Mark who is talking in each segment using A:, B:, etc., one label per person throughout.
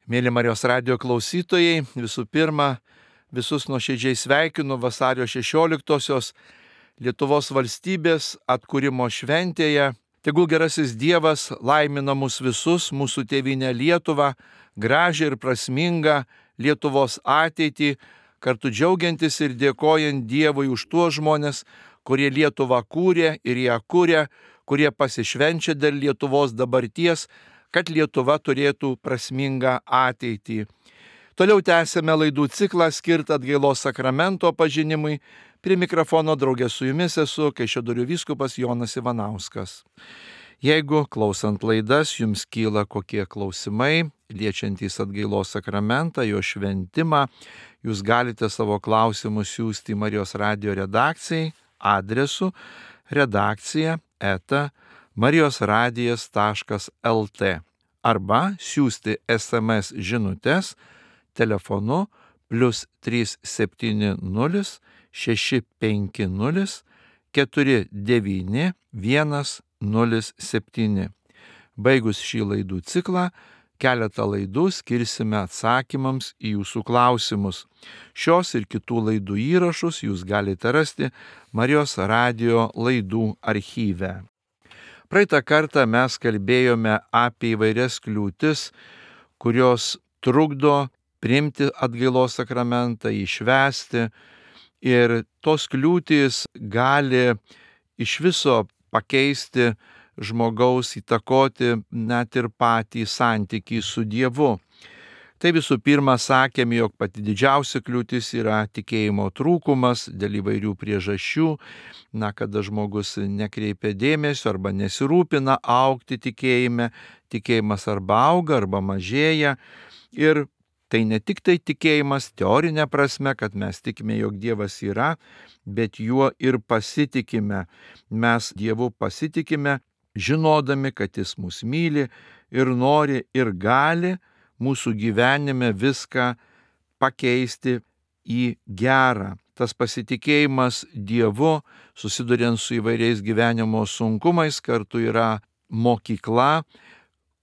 A: Mėly Marijos radijo klausytojai, visų pirma, visus nuoširdžiai sveikinu vasario 16-osios Lietuvos valstybės atkūrimo šventėje. Tegul gerasis Dievas laimina mus visus, mūsų tėvynę Lietuvą, gražią ir prasmingą Lietuvos ateitį, kartu džiaugiantis ir dėkojant Dievui už tuos žmonės, kurie Lietuvą kūrė ir ją kūrė, kurie pasišvenčia dėl Lietuvos dabarties, kad Lietuva turėtų prasmingą ateitį. Toliau tęsėme laidų ciklą skirtą atgailos sakramento pažinimui. Prie mikrofono draugė su jumis esu Kaišiadorių vyskupas Jonas Ivanauskas. Jeigu klausant laidas jums kyla kokie klausimai, liečiantys atgailos sakramentą, jo šventimą, jūs galite savo klausimus siųsti į Marijos radijo redakcijai adresu redakcija@marijosradijas.lt arba siųsti SMS žinutes telefonu +370 650 49 107. Baigus šį laidų ciklą, keletą laidų skirsime atsakymams į jūsų klausimus. Šios ir kitų laidų įrašus jūs galite rasti Marijos radijo laidų archyve. Praeitą kartą mes kalbėjome apie įvairias kliūtis, kurios trukdo priimti atgailos sakramentą, įšvęsti, ir tos kliūtys gali iš viso pakeisti žmogaus, įtakoti net ir patį santykį su Dievu. Tai visų pirma sakėme, jog pati didžiausia kliūtis yra tikėjimo trūkumas dėl įvairių priežasčių, kada žmogus nekreipia dėmesio arba nesirūpina augti tikėjime, tikėjimas arba auga arba mažėja. Ir tai ne tik tai tikėjimas teorinė prasme, kad mes tikime, jog Dievas yra, bet juo ir pasitikime. Mes Dievu pasitikime, žinodami, kad Jis mus myli ir nori ir gali mūsų gyvenime viską pakeisti į gerą. Tas pasitikėjimas Dievu, susiduriant su įvairiais gyvenimo sunkumais, kartu yra mokykla,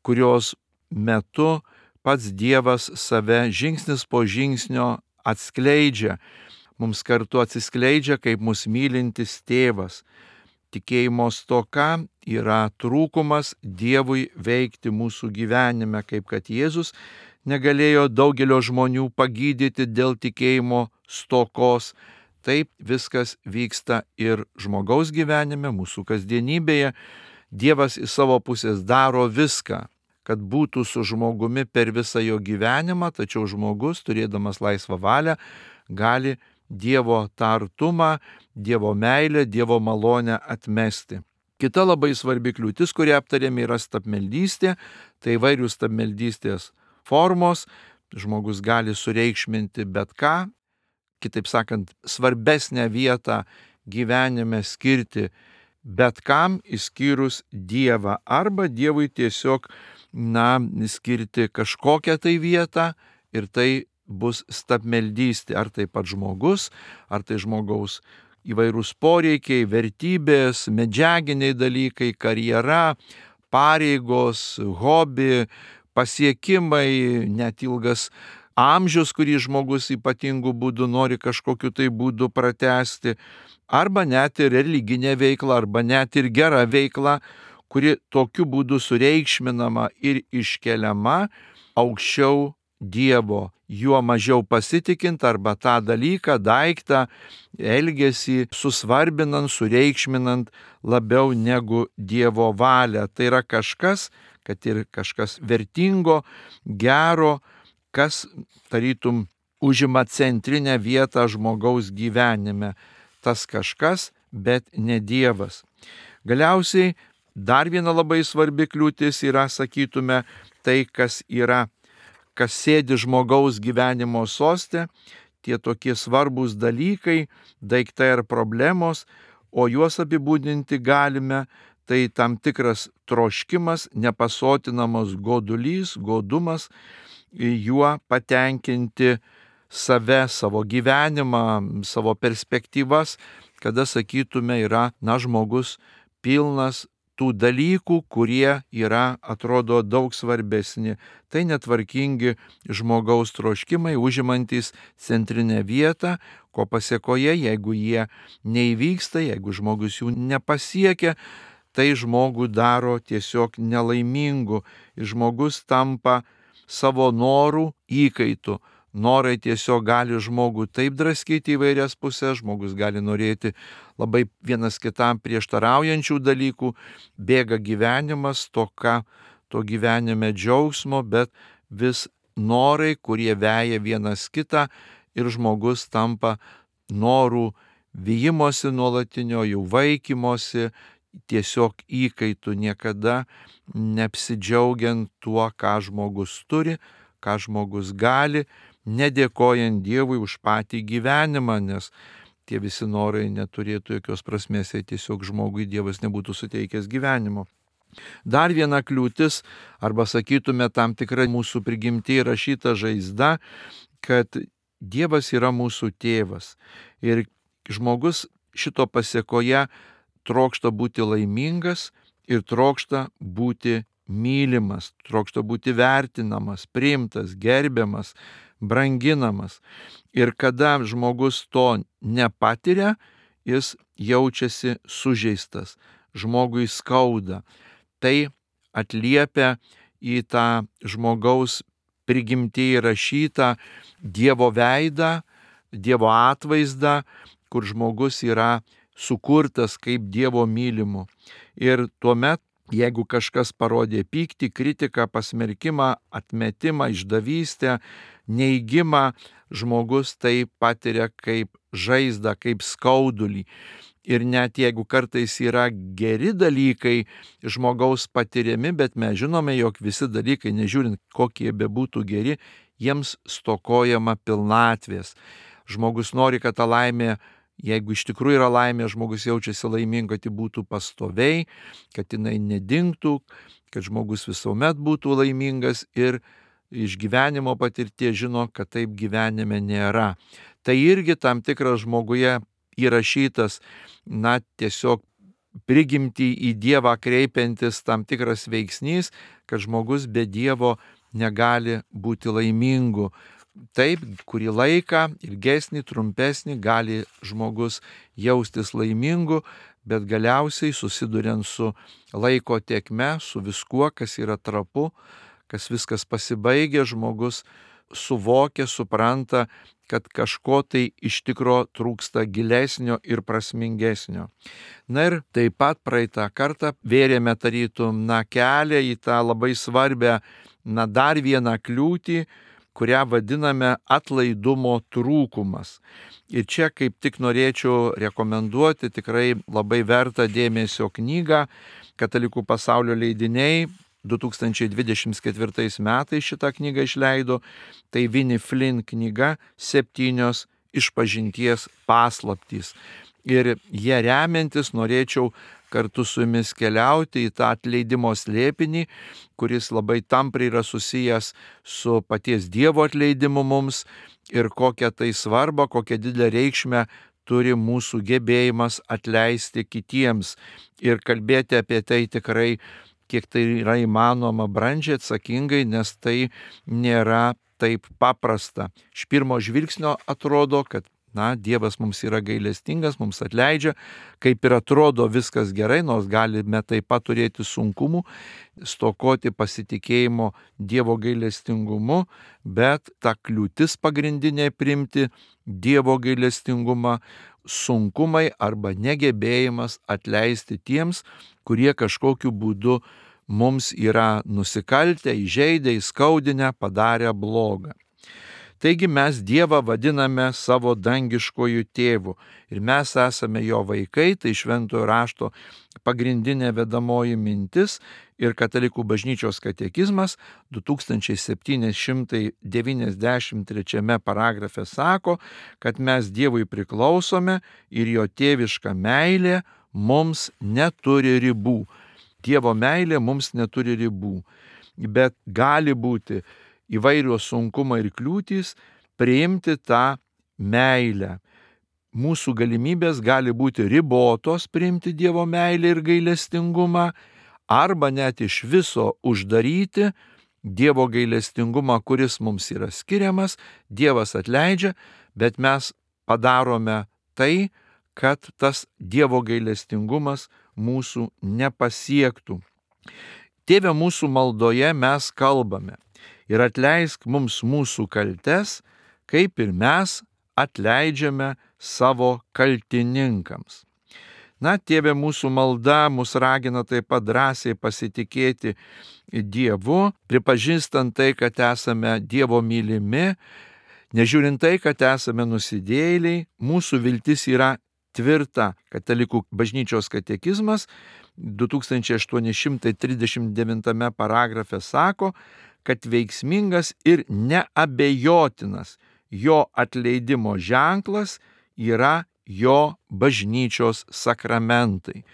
A: kurios metu pats Dievas save žingsnis po žingsnio atskleidžia. Mums kartu atsiskleidžia kaip mus mylintis tėvas. Tikėjimo stoka yra trūkumas Dievui veikti mūsų gyvenime, kaip kad Jėzus negalėjo daugelio žmonių pagydyti dėl tikėjimo stokos. Taip viskas vyksta ir žmogaus gyvenime, mūsų kasdienybėje. Dievas iš savo pusės daro viską, kad būtų su žmogumi per visą jo gyvenimą, tačiau žmogus, turėdamas laisvą valią, gali Dievo tą artumą, Dievo meilę, Dievo malonę atmesti. Kita labai svarbi kliūtis, kurią aptarėme, yra stabmeldystė. Tai įvairių stabmeldystės formos. Žmogus gali sureikšminti bet ką, kitaip sakant, svarbesnę vietą gyvenime skirti bet kam išskyrus Dievą, arba Dievui tiesiog skirti kažkokią tai vietą, ir tai bus stabmeldystė. Ar tai pats žmogus, ar tai žmogaus įvairūs poreikiai, vertybės, medžiaginiai dalykai, karjera, pareigos, hobi, pasiekimai, net ilgas amžius, kurį žmogus ypatingų būdų nori kažkokiu tai būdu pratęsti, arba net ir religinė veikla, arba net ir gera veikla, kuri tokiu būdu sureikšminama ir iškeliama aukščiau Dievo, juo mažiau pasitikint, arba tą dalyką, daiktą, elgesį susvarbinant, sureikšminant labiau negu Dievo valią. Tai yra kažkas, kad ir kažkas vertingo, gero, kas tarytum užima centrinę vietą žmogaus gyvenime. Tas kažkas, bet ne Dievas. Galiausiai dar viena labai svarbi kliūtis yra, sakytume, tai, kas sėdi žmogaus gyvenimo soste, tie tokie svarbūs dalykai, daiktai ar problemos, o juos apibūdinti galime, tai tam tikras troškimas, nepasotinamas godulys, godumas, juo patenkinti save, savo gyvenimą, savo perspektyvas, kada, sakytume, yra žmogus pilnas tų dalykų, kurie yra, atrodo, daug svarbesni. Tai netvarkingi žmogaus troškimai, užimantys centrinę vietą, ko pasiekoje, jeigu jie neįvyksta, jeigu žmogus jų nepasiekia, tai žmogų daro tiesiog nelaimingu ir žmogus tampa savo norų įkaitu. Norai tiesiog gali žmogų taip draskyti įvairias pusės, žmogus gali norėti labai vienas kitam prieštaraujančių dalykų, bėga gyvenimas, toka to gyvenime džiaugsmo, bet vis norai, kurie veja vienas kitą ir žmogus tampa norų vijimosi nuolatinio, jų vaikymosi, tiesiog įkaitų, niekada neapsidžiaugiant tuo, ką žmogus turi, ką žmogus gali, nedėkojant Dievui už patį gyvenimą, nes tie visi norai neturėtų jokios prasmės, jei tiesiog žmogui Dievas nebūtų suteikęs gyvenimo. Dar viena kliūtis, arba sakytume tam tikra mūsų prigimtyje rašyta žaizda, kad Dievas yra mūsų tėvas ir žmogus šito pasiekoje trokšta būti laimingas ir trokšta būti mylimas, trokšta būti vertinamas, priimtas, gerbiamas, branginamas. Ir kada žmogus to nepatiria, jis jaučiasi sužeistas, žmogui skauda. Tai atliepia į tą žmogaus prigimtyje rašytą Dievo veidą, Dievo atvaizdą, kur žmogus yra sukurtas kaip Dievo mylimu. Ir tuomet, jeigu kažkas parodė pyktį, kritiką, pasmerkimą, atmetimą, išdavystę, neigimą, žmogus tai patiria kaip žaizdą, kaip skaudulį. Ir net jeigu kartais yra geri dalykai žmogaus patiriami, bet mes žinome, jog visi dalykai, nežiūrint kokie bebūtų geri, jiems stokojama pilnatvės. Žmogus nori, kad ta laimė, jeigu iš tikrųjų yra laimė, žmogus jaučiasi laiminga, kad ji būtų pastoviai, kad jinai nedingtų, kad žmogus visuomet būtų laimingas ir iš gyvenimo patirties žino, kad taip gyvenime nėra. Tai irgi tam tikras žmoguje įrašytas, tiesiog prigimtį į Dievą kreipiantis tam tikras veiksnys, kad žmogus be Dievo negali būti laimingu. Taip, kurį laiką, ilgesnį, trumpesnį, gali žmogus jaustis laimingu, bet galiausiai susiduriant su laiko tėkme, su viskuo, kas yra trapu, kas viskas pasibaigia, žmogus suvokia, supranta, kad kažko tai iš tikro trūksta gilesnio ir prasmingesnio. Na ir taip pat praeitą kartą vėrėme tarytum kelią į tą labai svarbę, dar vieną kliūtį, kurią vadiname atlaidumo trūkumas. Ir čia kaip tik norėčiau rekomenduoti tikrai labai vertą dėmesio knygą. Katalikų pasaulio leidiniai 2024 metais šitą knygą išleido. Tai Winnie Flynn knyga 7 išpažinties paslaptys. Ir jie remiantis norėčiau kartu su jumis keliauti į tą atleidimo slėpinį, kuris labai tampriai yra susijęs su paties Dievo atleidimu mums ir kokią tai svarbą, kokią didelę reikšmę turi mūsų gebėjimas atleisti kitiems ir kalbėti apie tai tikrai, kiek tai yra įmanoma, brandžiai, atsakingai, nes tai nėra taip paprasta. Iš pirmo žvilgsnio atrodo, kad Dievas mums yra gailestingas, mums atleidžia, kaip ir atrodo viskas gerai, nors galime taip pat turėti sunkumų, stokoti pasitikėjimo Dievo gailestingumu, bet ta kliūtis pagrindinė priimti Dievo gailestingumą, sunkumai arba negebėjimas atleisti tiems, kurie kažkokiu būdu mums yra nusikaltę, įžeidę, įskaudinę, padarę blogą. Taigi mes Dievą vadiname savo dangiškojų tėvų ir mes esame jo vaikai, tai Šventojo rašto pagrindinė vedamoji mintis ir Katalikų bažnyčios katekizmas 2793 paragrafe sako, kad mes Dievui priklausome ir jo tėviška meilė mums neturi ribų. Dievo meilė mums neturi ribų, bet gali būti įvairios sunkumai ir kliūtys priimti tą meilę. mūsų galimybės gali būti ribotos priimti Dievo meilę ir gailestingumą, arba net iš viso uždaryti Dievo gailestingumą, kuris mums yra skiriamas. Dievas atleidžia, bet mes padarome tai, kad tas Dievo gailestingumas mūsų nepasiektų. Tėve mūsų maldoje mes kalbame: ir atleisk mums mūsų kaltes, kaip ir mes atleidžiame savo kaltininkams. Na, Tėve, mūsų malda mus ragina taip pat drąsiai pasitikėti Dievu, pripažįstant tai, kad esame Dievo mylimi, nežiūrint tai, kad esame nusidėjėliai. Mūsų viltis yra tvirta. Katalikų bažnyčios katekizmas 2839 paragrafe sako, kad veiksmingas ir neabejotinas jo atleidimo ženklas yra jo bažnyčios sakramentai.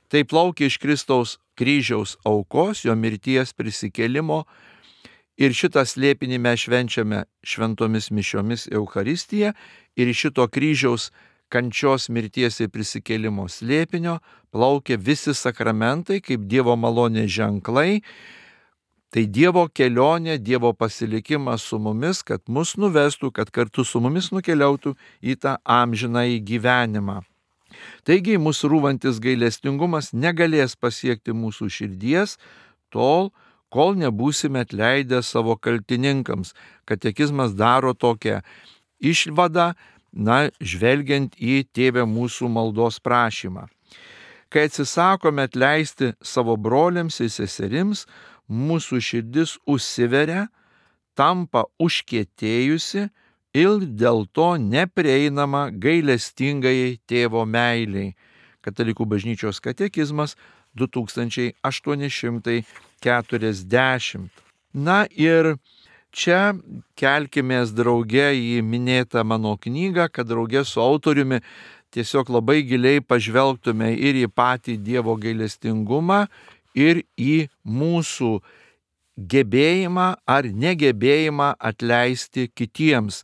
A: Tai plaukia iš Kristaus kryžiaus aukos, jo mirties prisikėlimo, ir šitą slėpinį mes švenčiame šventomis mišiomis Eucharistiją, ir iš šito kryžiaus kančios, mirties ir prisikėlimo slėpinio plaukia visi sakramentai kaip Dievo malonės ženklai. Tai Dievo kelionė, Dievo pasilikimas su mumis, kad mus nuvestų, kad kartu su mumis nukeliautų į tą amžinąjį gyvenimą. Taigi mūsų rūvantis gailestingumas negalės pasiekti mūsų širdies tol, kol nebūsime atleidę savo kaltininkams. Katekizmas daro tokią išvadą, žvelgiant į Tėve mūsų maldos prašymą. Kai atsisakome atleisti savo broliams ir seserims, mūsų širdis užsiveria, tampa užkietėjusi ir dėl to neprieinama gailestingajai Tėvo meiliai. Katalikų bažnyčios katekizmas 2840. Na ir čia kelkimės drauge į minėtą mano knygą, kad drauge su autoriumi tiesiog labai giliai pažvelgtume ir į patį Dievo gailestingumą, ir į mūsų gebėjimą ar negebėjimą atleisti kitiems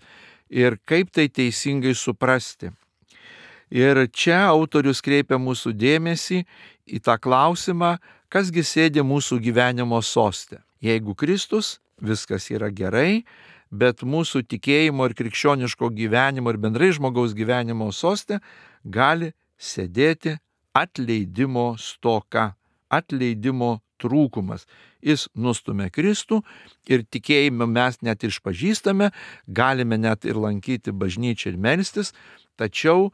A: ir kaip tai teisingai suprasti. Ir čia autorius kreipia mūsų dėmesį į tą klausimą, kasgi sėdi mūsų gyvenimo soste. Jeigu Kristus, viskas yra gerai, bet mūsų tikėjimo ir krikščioniško gyvenimo ir bendrai žmogaus gyvenimo soste gali sėdėti atleidimo stoka, atleidimo trūkumas. Jis nustumia Kristų ir tikėjime mes net išpažįstame, galime net ir lankyti bažnyčią ir melstis, tačiau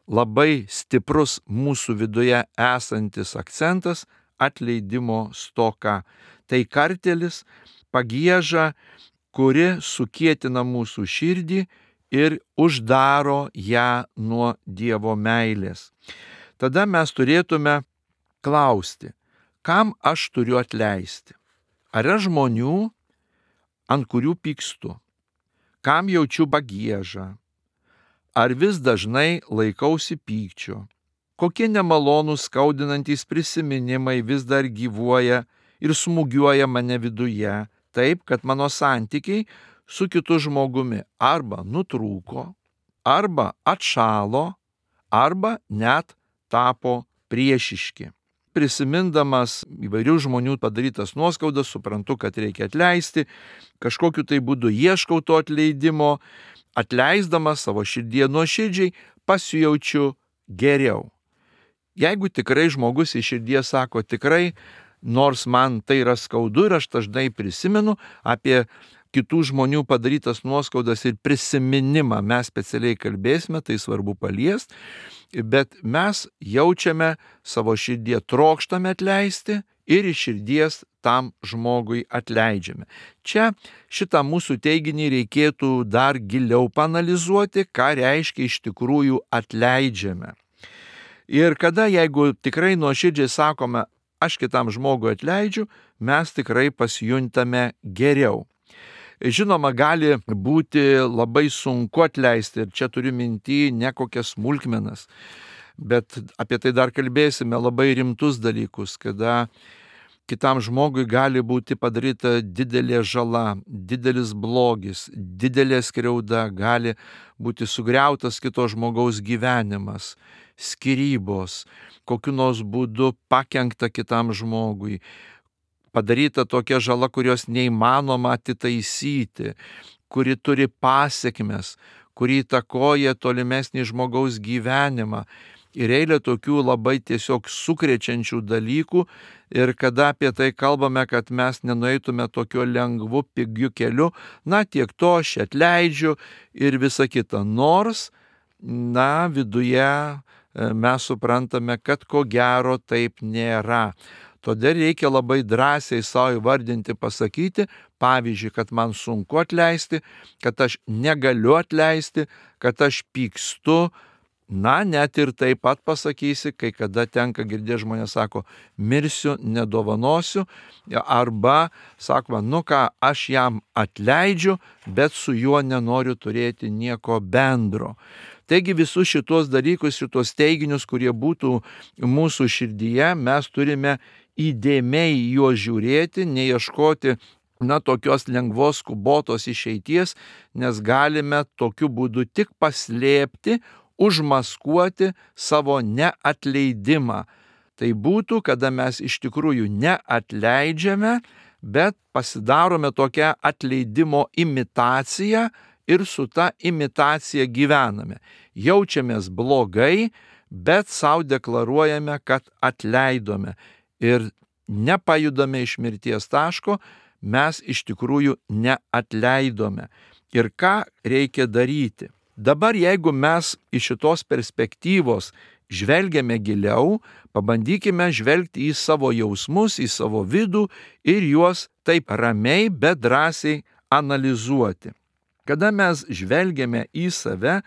A: labai stiprus mūsų viduje esantis akcentas - atleidimo stoka. Tai kartėlis, pagieža, kuri sukietina mūsų širdį ir uždaro ją nuo Dievo meilės. Tada mes turėtume klausti, kam aš turiu atleisti? Ar yra žmonių, ant kurių pykstu? Kam jaučiu pagiežą? Ar vis dažnai laikausi pykčio? Kokie nemalonūs skaudinantys prisiminimai vis dar gyvuoja ir smūgiuoja mane viduje, taip, kad mano santykiai su kitu žmogumi arba nutrūko, arba atšalo, arba net tapo priešiški. Prisimindamas įvairių žmonių padarytas nuoskaudas, suprantu, kad reikia atleisti, kažkokiu tai būdu ieškau to atleidimo, atleisdamas savo širdie nuoširdžiai pasijaučiu geriau. Jeigu tikrai žmogus iš širdies sako tikrai, nors man tai yra skaudu ir aš dažnai prisimenu apie kitų žmonių padarytas nuoskaudas ir prisiminimą, mes specialiai kalbėsime, tai svarbu paliesti, bet mes jaučiame savo širdie, trokštame atleisti ir iš širdies tam žmogui atleidžiame. Čia šitą mūsų teiginį reikėtų dar giliau paanalizuoti, ką reiškia iš tikrųjų atleidžiame. Ir kada, jeigu tikrai nuoširdžiai sakome, aš kitam žmogui atleidžiu, mes tikrai pasijuntame geriau. Žinoma, gali būti labai sunku atleisti, ir čia turiu minty ne kokias smulkmenas, bet apie tai dar kalbėsime, labai rimtus dalykus, kada kitam žmogui gali būti padaryta didelė žala, didelis blogis, didelė skriauda, gali būti sugriautas kito žmogaus gyvenimas, skyrybos, kokiu nors būdu pakenkta kitam žmogui, padaryta tokia žala, kurios neįmanoma atitaisyti, kuri turi pasiekmes, kuri įtakoja tolimesnį žmogaus gyvenimą. Ir eilė tokių labai tiesiog sukrečiančių dalykų, ir kada apie tai kalbame, kad mes nenueitume tokiu lengvu, pigiu keliu, tiek to aš atleidžiu ir visa kita. Nors, viduje mes suprantame, kad ko gero taip nėra. Todėl reikia labai drąsiai savo įvardinti, pasakyti, pavyzdžiui, kad man sunku atleisti, kad aš negaliu atleisti, kad aš pykstu. Net ir taip pat pasakysi, kai kada tenka girdėti, žmonės sako, mirsiu, nedovanosiu, arba sakoma, aš jam atleidžiu, bet su juo nenoriu turėti nieko bendro. Taigi visus šitos dalykus, šitos teiginius, kurie būtų mūsų širdyje, mes turime įdėmiai juos žiūrėti, neieškoti tokios lengvos, skubotos išeities, nes galime tokiu būdu tik paslėpti, užmaskuoti savo neatleidimą. Tai būtų, kada mes iš tikrųjų neatleidžiame, bet pasidarome tokią atleidimo imitaciją ir su ta imitacija gyvename. Jaučiamės blogai, bet savo deklaruojame, kad atleidome. Ir nepajudame iš mirties taško, mes iš tikrųjų neatleidome. Ir ką reikia daryti? Dabar jeigu mes iš šitos perspektyvos žvelgiame giliau, pabandykime žvelgti į savo jausmus, į savo vidų ir juos taip ramiai, bet drąsiai analizuoti. Kada mes žvelgiame į save,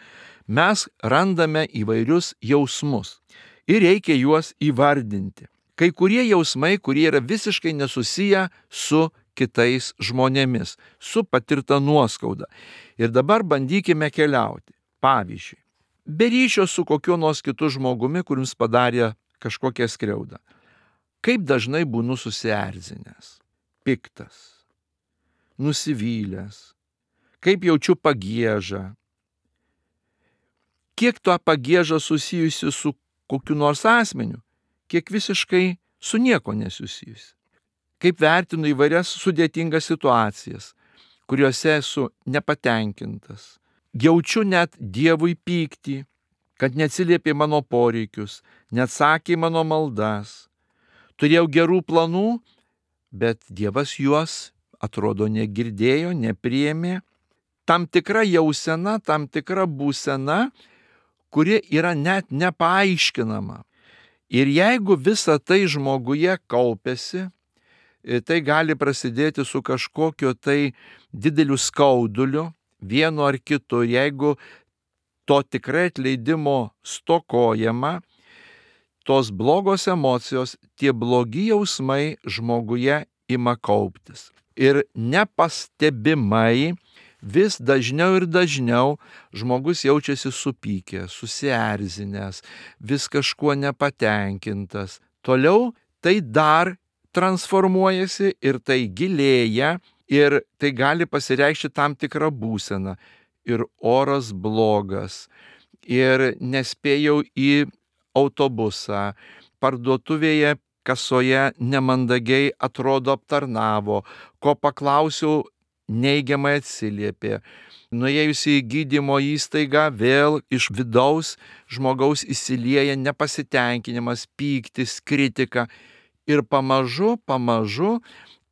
A: mes randame įvairius jausmus ir reikia juos įvardinti. Kai kurie jausmai, kurie yra visiškai nesusiję su kitais žmonėmis, su patirta nuoskauda. Ir dabar bandykime keliauti. Pavyzdžiui, be ryšio su kokiu nors kitu žmogumi, kuris padarė kažkokią skriaudą. Kaip dažnai būnu susierzinęs, piktas, nusivylęs, kaip jaučiu pagiežą. Kiek to pagieža susijusi su kokiu nors asmeniu, kiek visiškai su nieko nesusijusi. Kaip vertinu įvairias sudėtingas situacijas, kuriuose esu nepatenkintas. Jaučiu net Dievui pyktį, kad neatsiliepė mano poreikius, neatsakė mano maldas. Turėjau gerų planų, bet Dievas juos, atrodo, negirdėjo, nepriėmė. Tam tikra jausena, tam tikra būsena, kuri yra net nepaaiškinama. Ir jeigu visa tai žmoguje kaupiasi, tai gali prasidėti su kažkokiu tai dideliu skauduliu, vienu ar kitu. Jeigu to tikrai atleidimo stokojama, tos blogos emocijos, tie blogi jausmai žmoguje ima kauptis. Ir nepastebimai vis dažniau ir dažniau žmogus jaučiasi supykęs, susierzinęs, vis kažkuo nepatenkintas. Toliau tai dar transformuojasi ir tai gilėja ir tai gali pasireikšti tam tikrą būseną. Ir oras blogas, ir nespėjau į autobusą, parduotuvėje kasoje nemandagiai atrodo aptarnavo, ko paklausiau neigiamai atsiliepė. Nuėjus į gydymo įstaigą vėl iš vidaus žmogaus įsilieja nepasitenkinimas, pyktis, kritika. Ir pamažu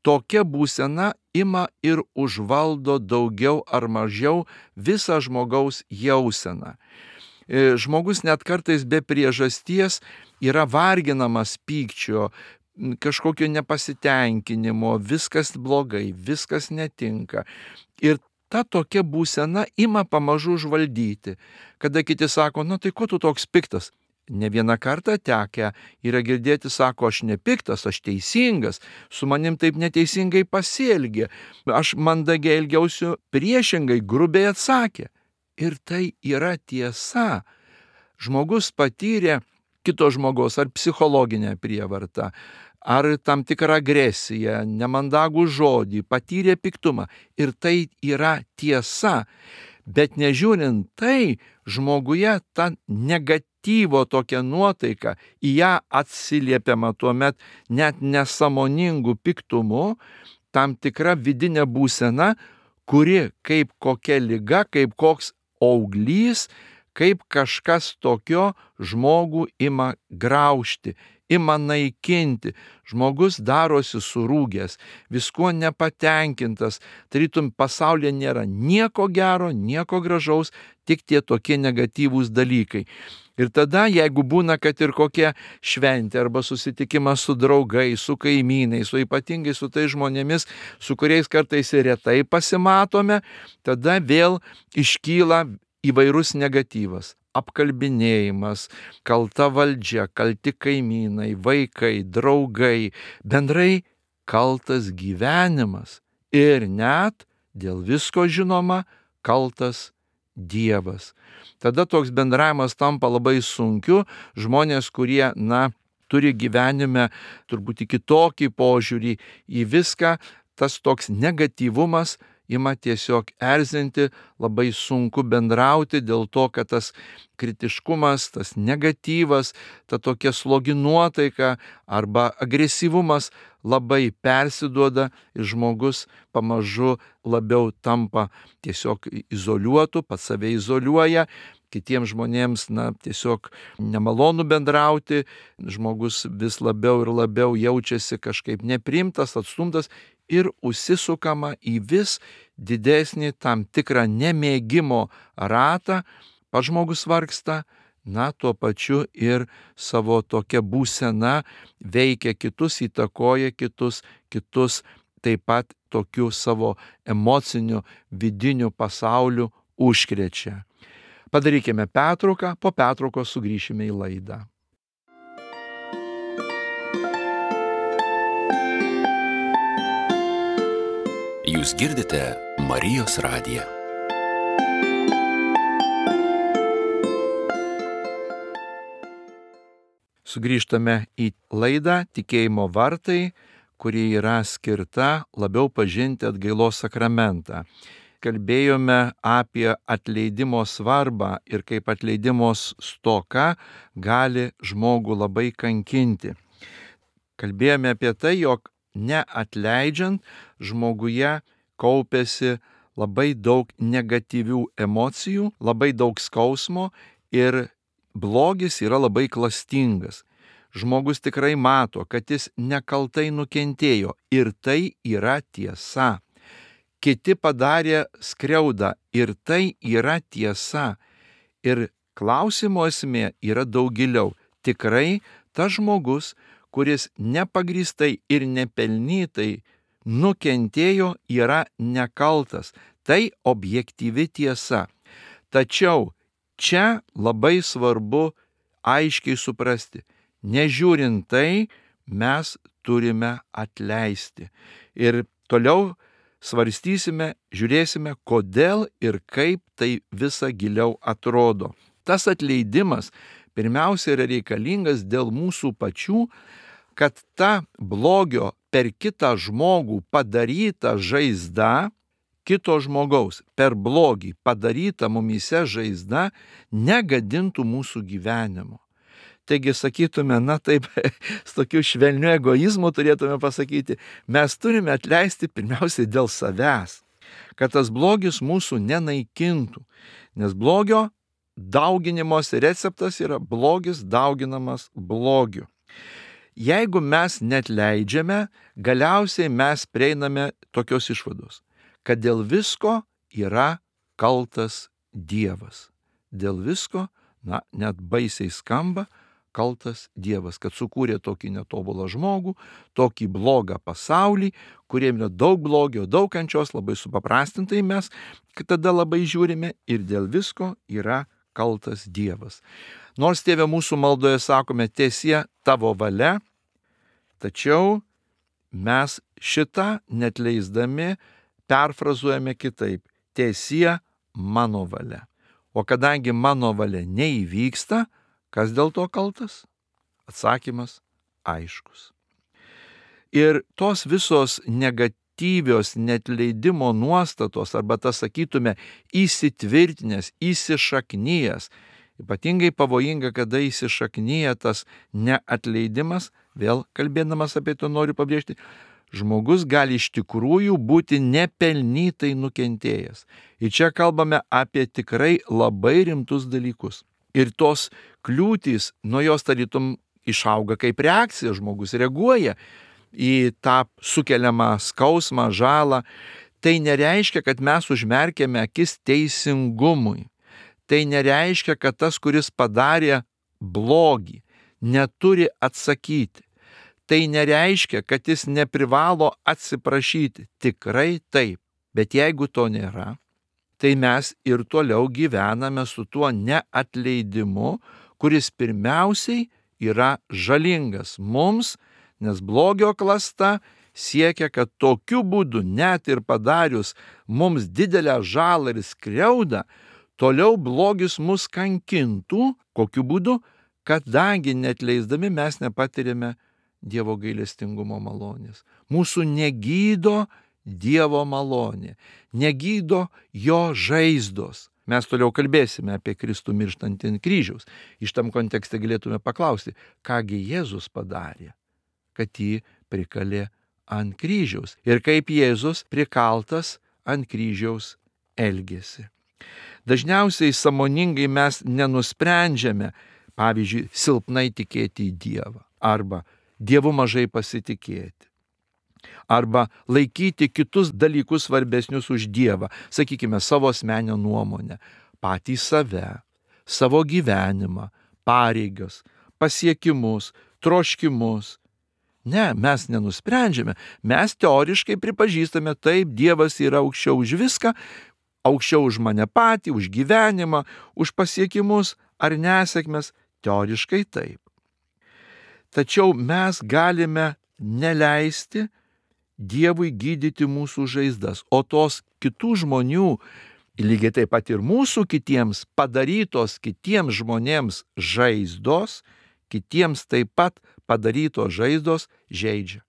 A: tokia būsena ima ir užvaldo daugiau ar mažiau visą žmogaus jauseną. Žmogus net kartais be priežasties yra varginamas pykčio, kažkokio nepasitenkinimo, viskas blogai, viskas netinka. Ir ta tokia būsena ima pamažu užvaldyti. Kada kiti sako, tai ko tu toks piktas? Ne vieną kartą tekę yra girdėti, sako, aš nepiktas, aš teisingas, su manim taip neteisingai pasielgė, aš mandagiai elgiausi, priešingai, grubiai atsakė. Ir tai yra tiesa. Žmogus patyrė kito žmogaus ar psichologinę prievartą, ar tam tikrą agresiją, nemandagų žodį, patyrė piktumą. Ir tai yra tiesa. Bet nežiūrint tai, žmoguje ta negatyvo tokia nuotaika, į ją atsiliepiama tuomet net nesąmoningų piktumu, tam tikra vidinė būsena, kuri kaip kokia liga, kaip koks auglys, kaip kažkas tokio žmogų ima graužti, ima naikinti. Žmogus darosi surūgęs, viskuo nepatenkintas, tarytum pasaulyje nėra nieko gero, nieko gražaus, tik tie tokie negatyvūs dalykai. Ir tada, jeigu būna, kad ir kokia šventė arba susitikimas su draugais, su kaimynais, su ypatingai su tais žmonėmis, su kuriais kartais ir retai pasimatome, tada vėl iškyla įvairus negatyvas. Apkalbinėjimas, kalta valdžia, kalti kaimynai, vaikai, draugai, bendrai kaltas gyvenimas ir net dėl visko žinoma kaltas Dievas. Tada toks bendravimas tampa labai sunkiu, žmonės, kurie, turi gyvenime turbūt kitokį požiūrį į viską, tas toks negatyvumas ima tiesiog erzinti, labai sunku bendrauti dėl to, kad tas kritiškumas, tas negatyvas, ta tokia slogi nuotaika arba agresyvumas labai persiduoda ir žmogus pamažu labiau tampa tiesiog izoliuotu, pats save izoliuoja, kitiems žmonėms tiesiog nemalonu bendrauti, žmogus vis labiau ir labiau jaučiasi kažkaip nepriimtas, atstumtas ir užsisukama į vis didesnį tam tikrą nemėgimo ratą, pats žmogus vargsta, tuo pačiu ir savo tokia būsena veikia kitus, įtakoja kitus taip pat tokiu savo emociniu vidiniu pasauliu užkrečia. Padarykime pertrauką, po pertraukos sugrįšime į laidą.
B: Jūs girdite Marijos radiją.
A: Sugrįžtame į laidą Tikėjimo vartai, kuri yra skirta labiau pažinti atgailos sakramentą. Kalbėjome apie atleidimo svarbą ir kaip atleidimo stoka gali žmogų labai kankinti. Kalbėjome apie tai, jog neatleidžiant žmoguje kaupiasi labai daug negatyvių emocijų, labai daug skausmo ir blogis yra labai klastingas. Žmogus tikrai mato, kad jis nekaltai nukentėjo ir tai yra tiesa. Kiti padarė skriaudą ir tai yra tiesa. Ir klausimo esmė yra daug giliau. Tikrai tas žmogus, kuris nepagrįstai ir nepelnytai nukentėjo, yra nekaltas. Tai objektyvi tiesa. Tačiau čia labai svarbu aiškiai suprasti. Nežiūrint tai, mes turime atleisti. Ir toliau svarstysime, žiūrėsime, kodėl ir kaip tai visa giliau atrodo. Tas atleidimas pirmiausia yra reikalingas dėl mūsų pačių, kad ta blogio per kitą žmogų padaryta žaizda, kito žmogaus per blogį padaryta mumyse žaizda negadintų mūsų gyvenimo. Taigi sakytume, taip, su tokiu švelniu egoizmu turėtume pasakyti, mes turime atleisti pirmiausiai dėl savęs, kad tas blogis mūsų nenaikintų, nes blogio dauginimosi receptas yra blogis dauginamas blogiu. Jeigu mes neatleidžiame, galiausiai mes prieiname tokios išvados, kad dėl visko yra kaltas Dievas. Dėl visko, net baisiai skamba, kaltas Dievas, kad sukūrė tokį netobulą žmogų, tokį blogą pasaulį, kuriem yra daug blogio, daug kančios, labai supaprastintai mes tada labai žiūrime ir dėl visko yra kaltas Dievas. Nors Tėve mūsų maldoje sakome, tiesie tavo valia, tačiau mes šitą netleisdami perfrazuojame kitaip, tiesie mano valia. O kadangi mano valia neįvyksta, kas dėl to kaltas? Atsakymas aiškus. Ir tos visos negatyvios neatleidimo nuostatos, arba tas sakytume įsitvirtinęs, įsišaknyjęs, ypatingai pavojinga, kada įsišaknyja tas neatleidimas, vėl kalbėdamas apie to noriu pabrėžti, žmogus gali iš tikrųjų būti nepelnytai nukentėjęs. Ir čia kalbame apie tikrai labai rimtus dalykus. Ir tos kliūtys, nuo jos tarytum išauga kaip reakcija, žmogus reaguoja į tą sukeliamą skausmą, žalą. Tai nereiškia, kad mes užmerkėme akis teisingumui. Tai nereiškia, kad tas, kuris padarė blogį, neturi atsakyti. Tai nereiškia, kad jis neprivalo atsiprašyti. Tikrai taip. Bet jeigu to nėra, tai mes ir toliau gyvename su tuo neatleidimu, kuris pirmiausiai yra žalingas mums, nes blogio klasta siekia, kad tokiu būdu, net ir padarius mums didelę žalą ir skriaudą, toliau blogis mus kankintų. Kokiu būdu? Kadangi neatleisdami mes nepatiriame Dievo gailestingumo malonės. Mūsų negydo Dievo malonė, negydo jo žaizdos. Mes toliau kalbėsime apie Kristų mirštantį ant kryžiaus. Iš tam kontekste galėtume paklausti, kągi Jėzus padarė, kad jį prikalė ant kryžiaus ir kaip Jėzus prikaltas ant kryžiaus elgėsi. Dažniausiai sąmoningai mes nenusprendžiame, pavyzdžiui, silpnai tikėti į Dievą, arba Dievu mažai pasitikėti, arba laikyti kitus dalykus svarbesnius už Dievą, sakykime, savo asmeninę nuomonę, patį save, savo gyvenimą, pareigas, pasiekimus, troškimus. Ne, mes nenusprendžiame, mes teoriškai pripažįstame, taip, Dievas yra aukščiau už viską, aukščiau už mane patį, už gyvenimą, už pasiekimus ar nesėkmes, teoriškai taip. Tačiau mes galime neleisti Dievui gydyti mūsų žaizdas, o tos kitų žmonių, lygiai taip pat ir mūsų kitiems padarytos kitiems žmonėms žaizdos, kitiems taip pat padarytos žaizdos žeidžia.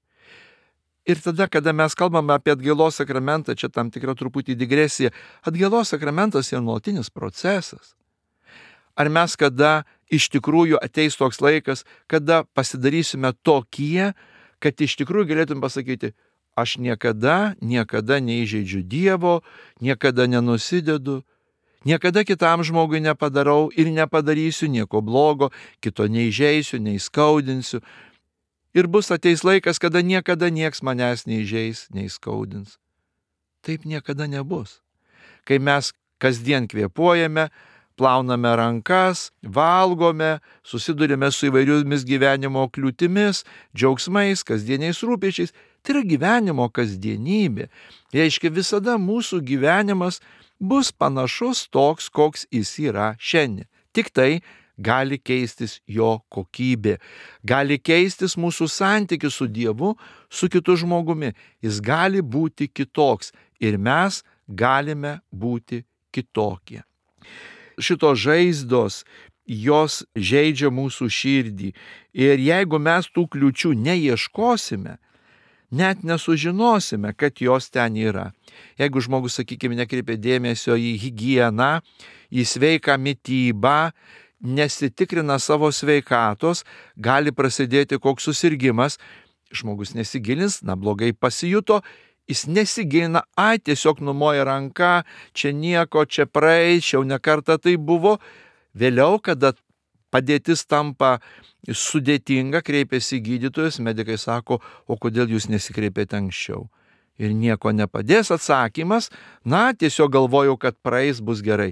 A: Ir tada, kada mes kalbame apie atgailos sakramentą, čia tam tikra truputį digresija, atgailos sakramentas yra nuolatinis procesas. Ar mes kada iš tikrųjų ateis toks laikas, kada pasidarysime tokie, kad iš tikrųjų galėtum pasakyti, aš niekada neįžeidžiu Dievo, niekada nenusidedu, niekada kitam žmogui nepadarau ir nepadarysiu nieko blogo, kito neįžeisiu, neįskaudinsiu. Ir ateis laikas, kada niekada nieks manęs neįžeis, neįskaudins. Taip niekada nebus. Kai mes kasdien kvėpuojame, plauname rankas, valgome, susidurime su įvairiomis gyvenimo kliūtimis, džiaugsmais, kasdieniais rūpesčiais. Tai yra gyvenimo kasdienybė. Reiškia, visada mūsų gyvenimas bus panašus toks, koks jis yra šiandien. Tik tai gali keistis jo kokybė. Gali keistis mūsų santykis su Dievu, su kitu žmogumi. Jis gali būti kitoks ir mes galime būti kitokie. Šitos žaizdos, jos žeidžia mūsų širdį. Ir jeigu mes tų kliūčių neieškosime, net nesužinosime, kad jos ten yra. Jeigu žmogus, sakykime, nekreipia dėmesio į higieną, į sveiką mitybą, nesitikrina savo sveikatos, gali prasidėti koks susirgimas, žmogus nesigilins, blogai pasijuto, jis nesigilina, tiesiog numoja ranką, čia nieko, čia praeis, jau nekartą tai buvo. Vėliau, kada padėtis tampa sudėtinga, kreipiasi gydytojas, medikai sako, o kodėl jūs nesikreipėte anksčiau? Ir nieko nepadės atsakymas, tiesiog galvojau, kad praeis, bus gerai.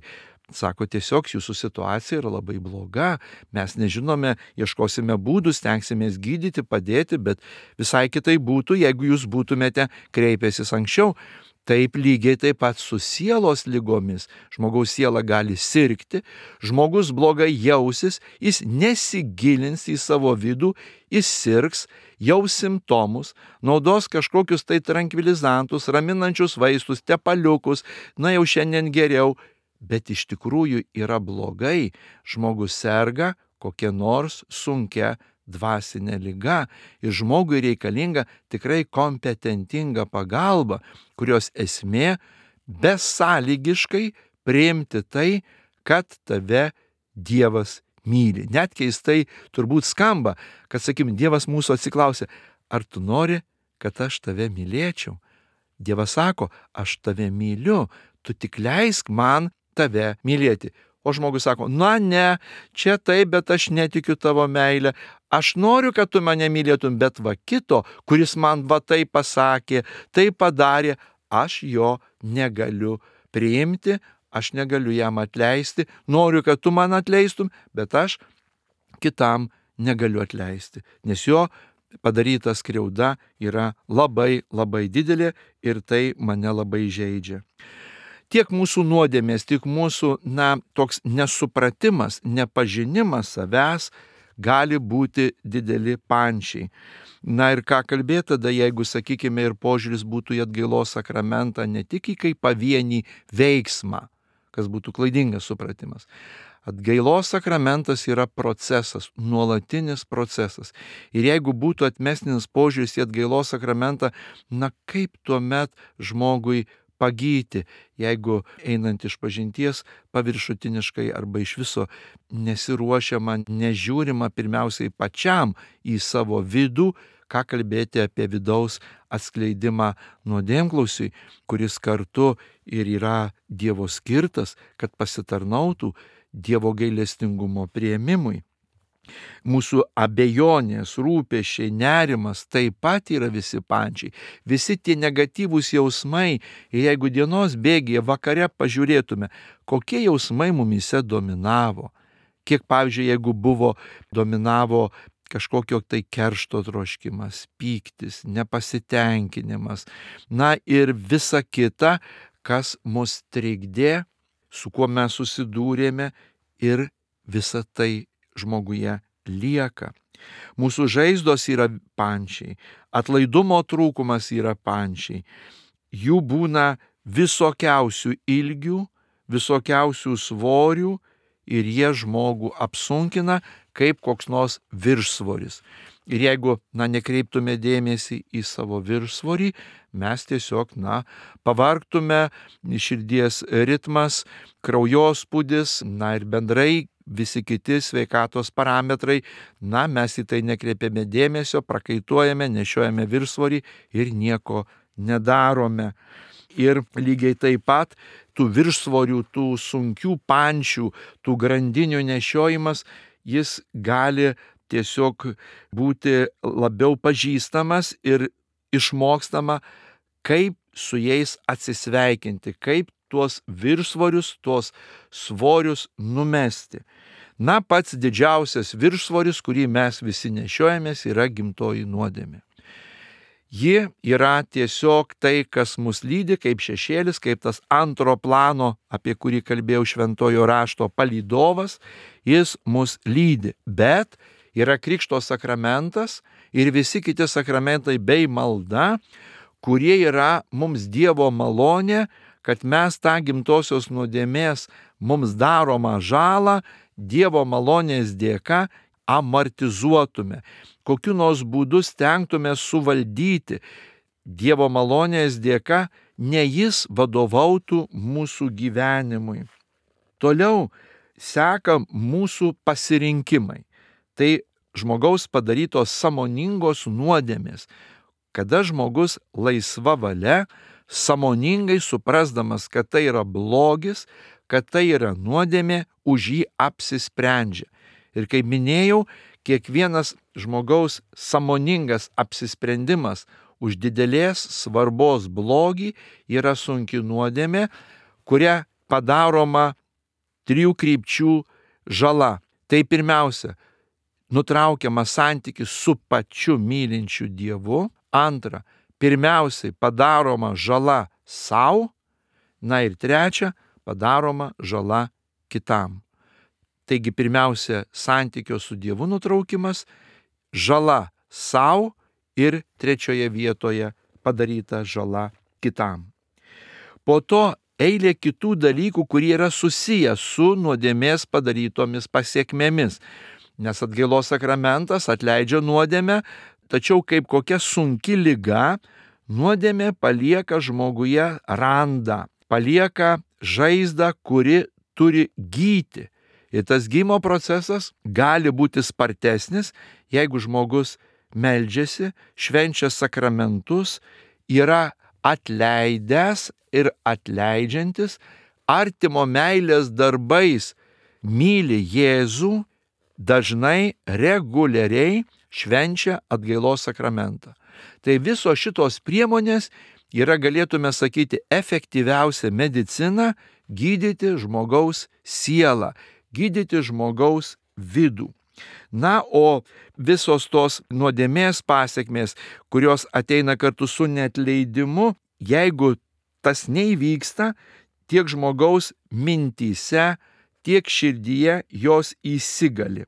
A: Sako, tiesiog jūsų situacija yra labai bloga, mes nežinome, ieškosime būdų, stengsimės gydyti, padėti, bet visai kitai būtų, jeigu jūs būtumėte kreipęsis anksčiau. Taip lygiai taip pat su sielos ligomis. Žmogaus siela gali sirgti, žmogus blogai jausis, jis nesigilins į savo vidų, jis sirgs, jaus simptomus, naudos kažkokius tai trankvilizantus, raminančius vaistus, tepaliukus, jau šiandien geriau. Bet iš tikrųjų yra blogai, žmogus serga kokia nors sunkia dvasinė liga ir žmogui reikalinga tikrai kompetentinga pagalba, kurios esmė besąlygiškai priimti tai, kad tave Dievas myli. Net keistai turbūt skamba, kad, sakykim, Dievas mūsų atsiklausė, ar tu nori, kad aš tave mylėčiau? Dievas sako, aš tave myliu, tu tik leisk man tave mylėti. O žmogus sako, na ne, čia taip, bet aš netikiu tavo meilę. Aš noriu, kad tu mane mylėtum, bet va kito, kuris man va tai pasakė, tai padarė, aš jo negaliu priimti, aš negaliu jam atleisti. Noriu, kad tu man atleistum, bet aš kitam negaliu atleisti, nes jo padaryta skriauda yra labai, labai didelė ir tai mane labai žeidžia. Tiek mūsų nuodėmės, tiek mūsų, toks nesupratimas, nepažinimas savęs gali būti dideli pančiai. Ir ką kalbėti tada, jeigu, sakykime, ir požiūris būtų į atgailos sakramentą ne tik į kaip pavienį veiksmą, kas būtų klaidingas supratimas. Atgailos sakramentas yra procesas, nuolatinis procesas. Ir jeigu būtų atmestinis požiūris į atgailos sakramentą, kaip tuomet žmogui pagyti, jeigu einant iš pažinties paviršutiniškai arba iš viso nesiruošiama, nežiūrima pirmiausiai pačiam į savo vidų, ką kalbėti apie vidaus atskleidimą nuodėmklausiui, kuris kartu ir yra Dievo skirtas, kad pasitarnautų Dievo gailestingumo priėmimui. Mūsų abejonės, rūpesčiai, nerimas taip pat yra visi pančiai. Visi tie negatyvūs jausmai, ir jeigu dienos bėgyje vakare pažiūrėtume, kokie jausmai mumise dominavo. Kiek, pavyzdžiui, jeigu dominavo kažkokio tai keršto troškimas, pyktis, nepasitenkinimas, ir visa kita, kas mus trikdė, su kuo mes susidūrėme, ir visa tai žmoguje lieka. Mūsų žaizdos yra pančiai, atlaidumo trūkumas yra pančiai. Jų būna visokiausių ilgių, visokiausių svorių ir jie žmogų apsunkina kaip koks nors viršsvoris. Ir jeigu, nekreiptume dėmesį į savo viršsvorį, mes tiesiog, pavargtume, širdies ritmas, kraujospūdis, ir bendrai visi kiti sveikatos parametrai, mes į tai nekreipiame dėmesio, prakaituojame, nešiojame viršsvorį ir nieko nedarome. Ir lygiai taip pat tų viršsvorių, tų sunkių pančių, tų grandinių nešiojimas, jis gali tiesiog būti labiau pažįstamas ir išmokstama, kaip su jais atsisveikinti, kaip tuos viršsvorius, tuos svorius numesti. Pats didžiausias viršsvoris, kurį mes visi nešiojamės, yra gimtoji nuodėmė. Ji yra tiesiog tai, kas mus lydi, kaip šešėlis, kaip tas antro plano, apie kurį kalbėjau šventojo rašto palydovas, jis mus lydi. Bet yra Krikšto sakramentas ir visi kiti sakramentai bei malda, kurie yra mums Dievo malonė, kad mes tą gimtosios nuodėmės mums daromą žalą Dievo malonės dėka amortizuotume. Kokiu nors būdu stengtume suvaldyti Dievo malonės dėka, ne jis vadovautų mūsų gyvenimui. Toliau seka mūsų pasirinkimai. Tai žmogaus padarytos sąmoningos nuodėmės, kada žmogus laisva valia, sąmoningai suprasdamas, kad tai yra blogis, kad tai yra nuodėmė, už jį apsisprendžia. Ir kaip minėjau, kiekvienas žmogaus sąmoningas apsisprendimas už didelės svarbos blogį yra sunki nuodėmė, kuria padaroma 3 krypčių žala. Tai pirmiausia, nutraukiamas santykis su pačiu mylinčiu Dievu. Antra, pirmiausiai padaroma žala sau. Ir trečia, padaroma žala kitam. Taigi pirmiausia, santykio su Dievu nutraukimas, žala sau ir trečioje vietoje padaryta žala kitam. Po to eilė kitų dalykų, kurie yra susiję su nuodėmės padarytomis pasiekmėmis. nes atgailos sakramentas atleidžia nuodėmę, tačiau kaip kokia sunki liga, nuodėmė palieka žmoguje randą, palieka žaizdą, kuri turi gyti. Ir tas gymo procesas gali būti spartesnis, jeigu žmogus meldžiasi, švenčia sakramentus, yra atleidęs ir atleidžiantis, artimo meilės darbais myli Jėzų, dažnai, reguliariai švenčia atgailos sakramentą. Tai visos šitos priemonės yra, galėtume sakyti, efektyviausia medicina gydyti žmogaus sielą, gydyti žmogaus vidų. Na, o visos tos nuodėmės pasekmės, kurios ateina kartu su neatleidimu, jeigu tas neįvyksta, tiek žmogaus mintyse, tiek širdyje jos įsigali.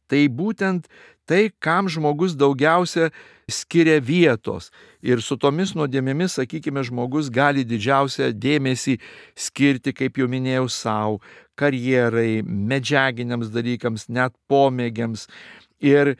A: Tai būtent tai, kam žmogus daugiausia skiria vietos. Ir su tomis nuodėmėmis, sakykime, žmogus gali didžiausią dėmesį skirti, kaip jau minėjau, savo, karjerai, medžiaginiams dalykams, net pomėgiams. Ir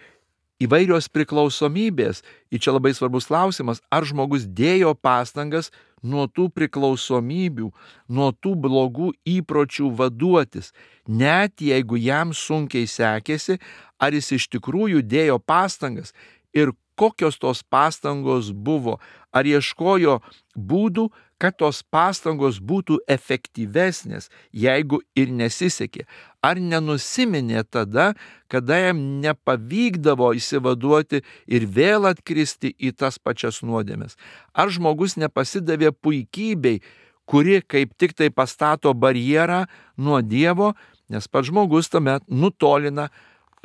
A: įvairios priklausomybės. Ir čia labai svarbus klausimas, ar žmogus dėjo pastangas nuo tų priklausomybių, nuo tų blogų įpročių vaduotis. Net jeigu jam sunkiai sekėsi, ar jis iš tikrųjų dėjo pastangas ir kokios tos pastangos buvo, ar ieškojo būdų, kad tos pastangos būtų efektyvesnės, jeigu ir nesisekė, ar nenusiminė tada, kada jam nepavykdavo išsivaduoti ir vėl atkristi į tas pačias nuodėmes, ar žmogus nepasidavė puikybei, kuri kaip tik tai pastato barjerą nuo Dievo, nes pats žmogus tuomet nutolina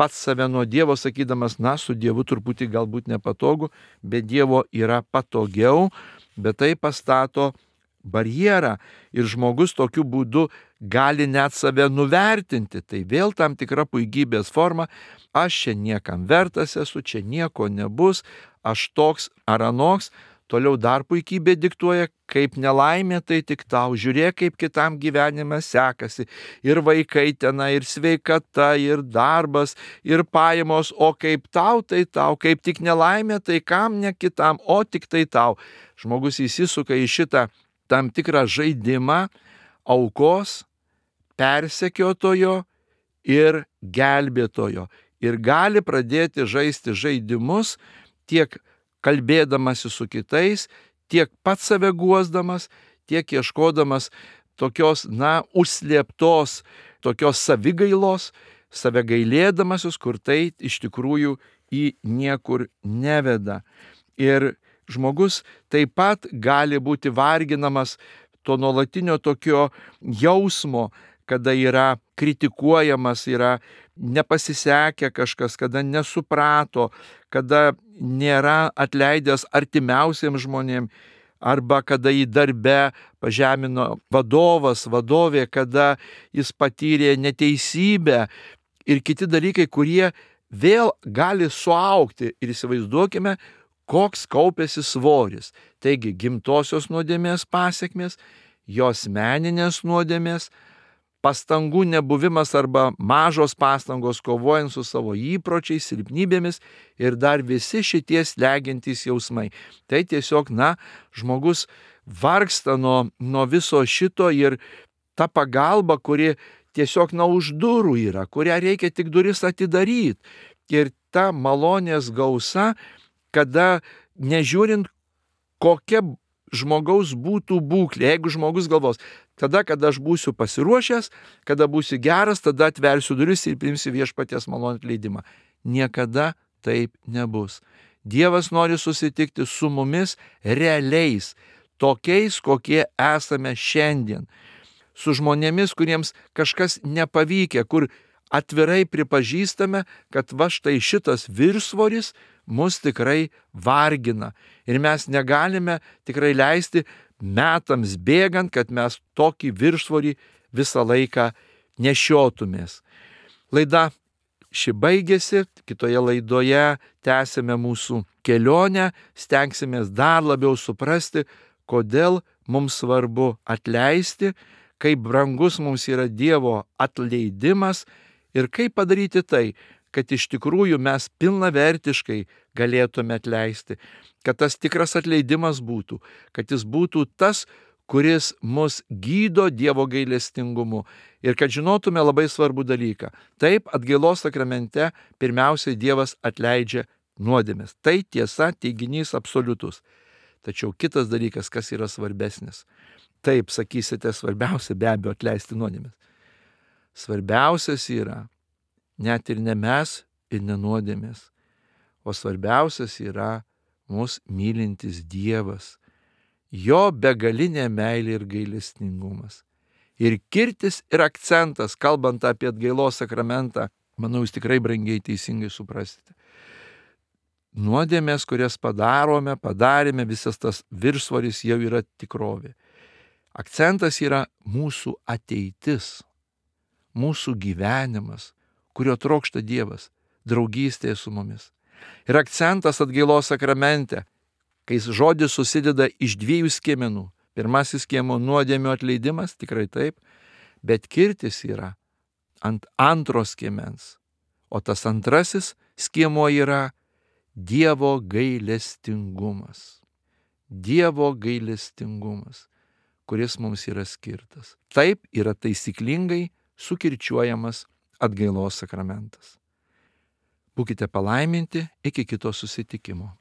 A: pats save nuo Dievo, sakydamas, na, su Dievu truputį galbūt nepatogu, bet Dievo yra patogiau, bet tai pastato barjerą ir žmogus tokiu būdu gali net save nuvertinti. Tai vėl tam tikra puikybės forma, aš čia niekam vertas esu, čia nieko nebus, aš toks ar anoks. Toliau dar puikybė diktuoja, kaip nelaimė, tai tik tau. Žiūrėk, kaip kitam gyvenime sekasi. Ir vaikai tenai, ir sveikata, ir darbas, ir pajamos. O kaip tau, tai tau. Kaip tik nelaimė, tai kam ne kitam, o tik tai tau. Žmogus įsisuka į šitą tam tikrą žaidimą aukos, persekiotojo ir gelbėtojo. Ir gali pradėti žaisti žaidimus tiek kalbėdamasi su kitais, tiek pats save guosdamas, tiek ieškodamas tokios, užslėptos, tokios savigailos, save gailėdamasis, kur tai iš tikrųjų į niekur neveda. Ir žmogus taip pat gali būti varginamas to nuolatinio tokio jausmo, kada yra kritikuojamas, yra nepasisekę kažkas, kada nesuprato, kada nėra atleidęs artimiausiems žmonėms, arba kada į darbe pažemino vadovas, vadovė, kada jis patyrė neteisybę ir kiti dalykai, kurie vėl gali suaugti. Ir įsivaizduokime, koks kaupėsi svoris. Taigi gimtosios nuodėmės pasekmės, jos asmeninės nuodėmės, pastangų nebuvimas arba mažos pastangos kovojant su savo įpročiais, silpnybėmis ir dar visi šitie slegiantys jausmai. Tai tiesiog, žmogus vargsta nuo viso šito ir ta pagalba, kuri tiesiog už durų yra, kurią reikia tik duris atidaryti. Ir ta malonės gausa, kada nežiūrint kokia žmogaus būtų būklė, jeigu žmogus galvos, tada, kada aš būsiu pasiruošęs, kada būsiu geras, tada atversiu duris ir priimsiu viešpaties malonės atleidimą. Niekada taip nebus. Dievas nori susitikti su mumis realiais, tokiais, kokie esame šiandien. Su žmonėmis, kuriems kažkas nepavykę, kur atvirai pripažįstame, kad va štai šitas viršsvoris mus tikrai vargina. Ir mes negalime tikrai leisti metams bėgant, kad mes tokį viršsvorį visą laiką nešiotumės. Laida ši baigėsi, kitoje laidoje tęsime mūsų kelionę, stengsimės dar labiau suprasti, kodėl mums svarbu atleisti, kaip brangus mums yra Dievo atleidimas ir kaip padaryti tai, kad iš tikrųjų mes pilnavertiškai galėtume atleisti, kad tas tikras atleidimas būtų, kad jis būtų tas, kuris mus gydo Dievo gailestingumu ir kad žinotume labai svarbų dalyką. Taip, atgailos sakramente pirmiausiai Dievas atleidžia nuodėmes. Tai tiesa, teiginys absoliutus. Tačiau kitas dalykas, kas yra svarbesnis. Taip, sakysite, svarbiausia be abejo atleisti nuodėmes. Svarbiausias yra net ir ne mes ir ne nuodėmės, o svarbiausias yra mus mylintis Dievas, jo begalinė meilė ir gailestingumas. Ir kirtis ir akcentas, kalbant apie atgailos sakramentą, manau, jūs tikrai brangiai teisingai suprasite. Nuodėmės, kurias padarėme, visas tas viršsvoris jau yra tikrovė. Akcentas yra mūsų ateitis, mūsų gyvenimas, kurio trokšta Dievas, draugystėje su mumis. Ir akcentas atgailos sakramente, kai žodis susideda iš 2 skiemenų. Pirmasis skiemuo nuodėmių atleidimas, tikrai taip, bet kirtis yra ant antro skiemens, o tas antrasis skiemuo yra Dievo gailestingumas. Dievo gailestingumas, kuris mums yra skirtas. Taip yra taisyklingai sukirčiuojamas atgailos sakramentas. Būkite palaiminti, iki kito susitikimo.